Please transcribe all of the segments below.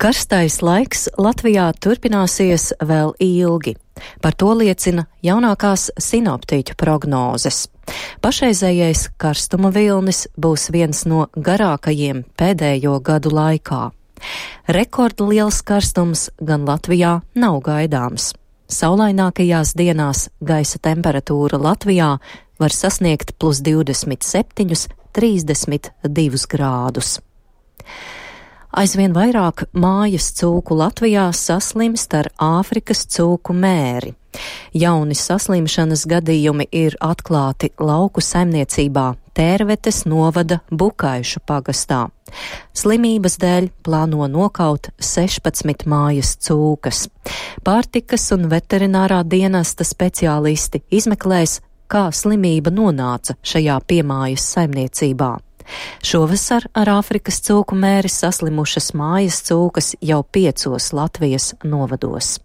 Karstais laiks Latvijā turpināsies vēl ilgi. Par to liecina jaunākās sinoptiķu prognozes. Pašreizējais karstuma vilnis būs viens no garākajiem pēdējo gadu laikā. Rekordliels karstums gan Latvijā nav gaidāms. Saulainākajās dienās gaisa temperatūra Latvijā var sasniegt plus 27, 32 grādus. Aizvien vairāk mājas cūku Latvijā saslimst ar Āfrikas cūku mēri. Jauni saslimšanas gadījumi ir atklāti lauku saimniecībā Tērvetes novada Bukaišu pagastā. Slimības dēļ plāno nokaut 16 mājas cūkas. Pārtikas un veterinārā dienesta speciālisti izmeklēs, kā slimība nonāca šajā piemājas saimniecībā. Šovasar ar Āfrikas cūku mēri saslimušas mājas cūkas jau 5 Latvijas novados.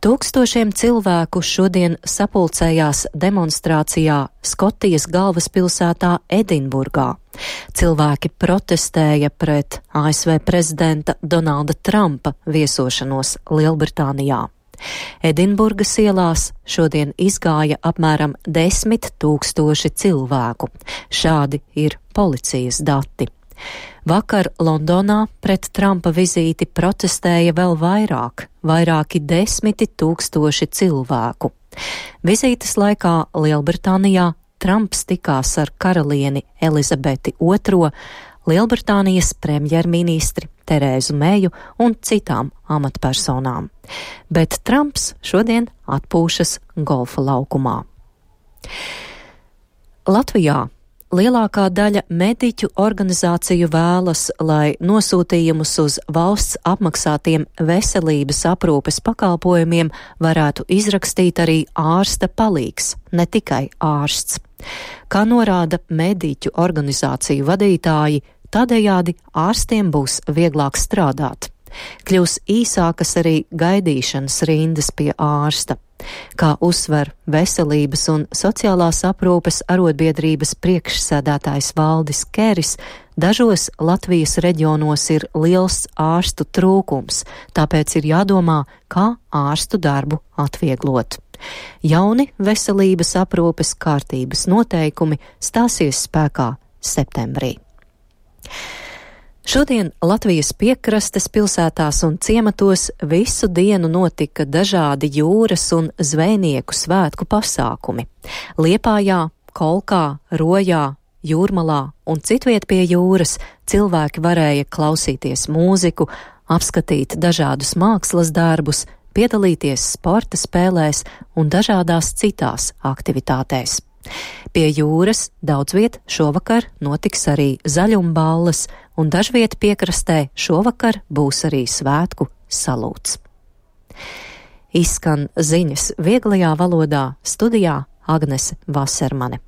Tūkstošiem cilvēku šodien sapulcējās demonstrācijā Skotijas galvaspilsētā Edinburgā. Cilvēki protestēja pret ASV prezidenta Donalda Trumpa viesošanos Lielbritānijā. Edinburgas ielās šodien izgāja apmēram 10 000 cilvēku. Šādi ir policijas dati. Vakar Londonā pret Trumpa vizīti protestēja vēl vairāki 10 000 cilvēku. Vizītes laikā Lielbritānijā Trumps tikās ar karalieni Elizabeti II, Lielbritānijas premjerministri Terēzu Meju un citām amatpersonām. Bet Trumps šodien atpūšas golfa laukumā. Latvijā lielākā daļa mediķu organizāciju vēlas, lai nosūtījumus uz valsts apmaksātiem veselības aprūpes pakalpojumiem varētu izrakstīt arī ārsta palīgs, ne tikai ārsts. Kā norāda mediķu organizāciju vadītāji, tādējādi ārstiem būs vieglāk strādāt. Kļūs īsākas arī gaidīšanas rindas pie ārsta. Kā uzsver Veselības un sociālās aprūpes arotbiedrības priekšsēdētājs Valdis Keris, dažos Latvijas reģionos ir liels ārstu trūkums, tāpēc ir jādomā, kā ārstu darbu atvieglot. Jauni veselības aprūpes kārtības noteikumi stāsies spēkā septembrī. Šodien Latvijas piekrastes pilsētās un ciematos visu dienu notika dažādi jūras un zvejnieku svētku pasākumi. Liepājā, Kolkā, Rojā, Jūrmalā un citviet pie jūras cilvēki varēja klausīties mūziku, apskatīt dažādus mākslas darbus, piedalīties sporta spēlēs un dažādās citās aktivitātēs. Pie jūras daudzviet šovakar notiks arī zaļumballes, un dažviet piekrastē šovakar būs arī svētku salūts. Izskan ziņas vieglajā valodā, studijā Agnese Vasermane.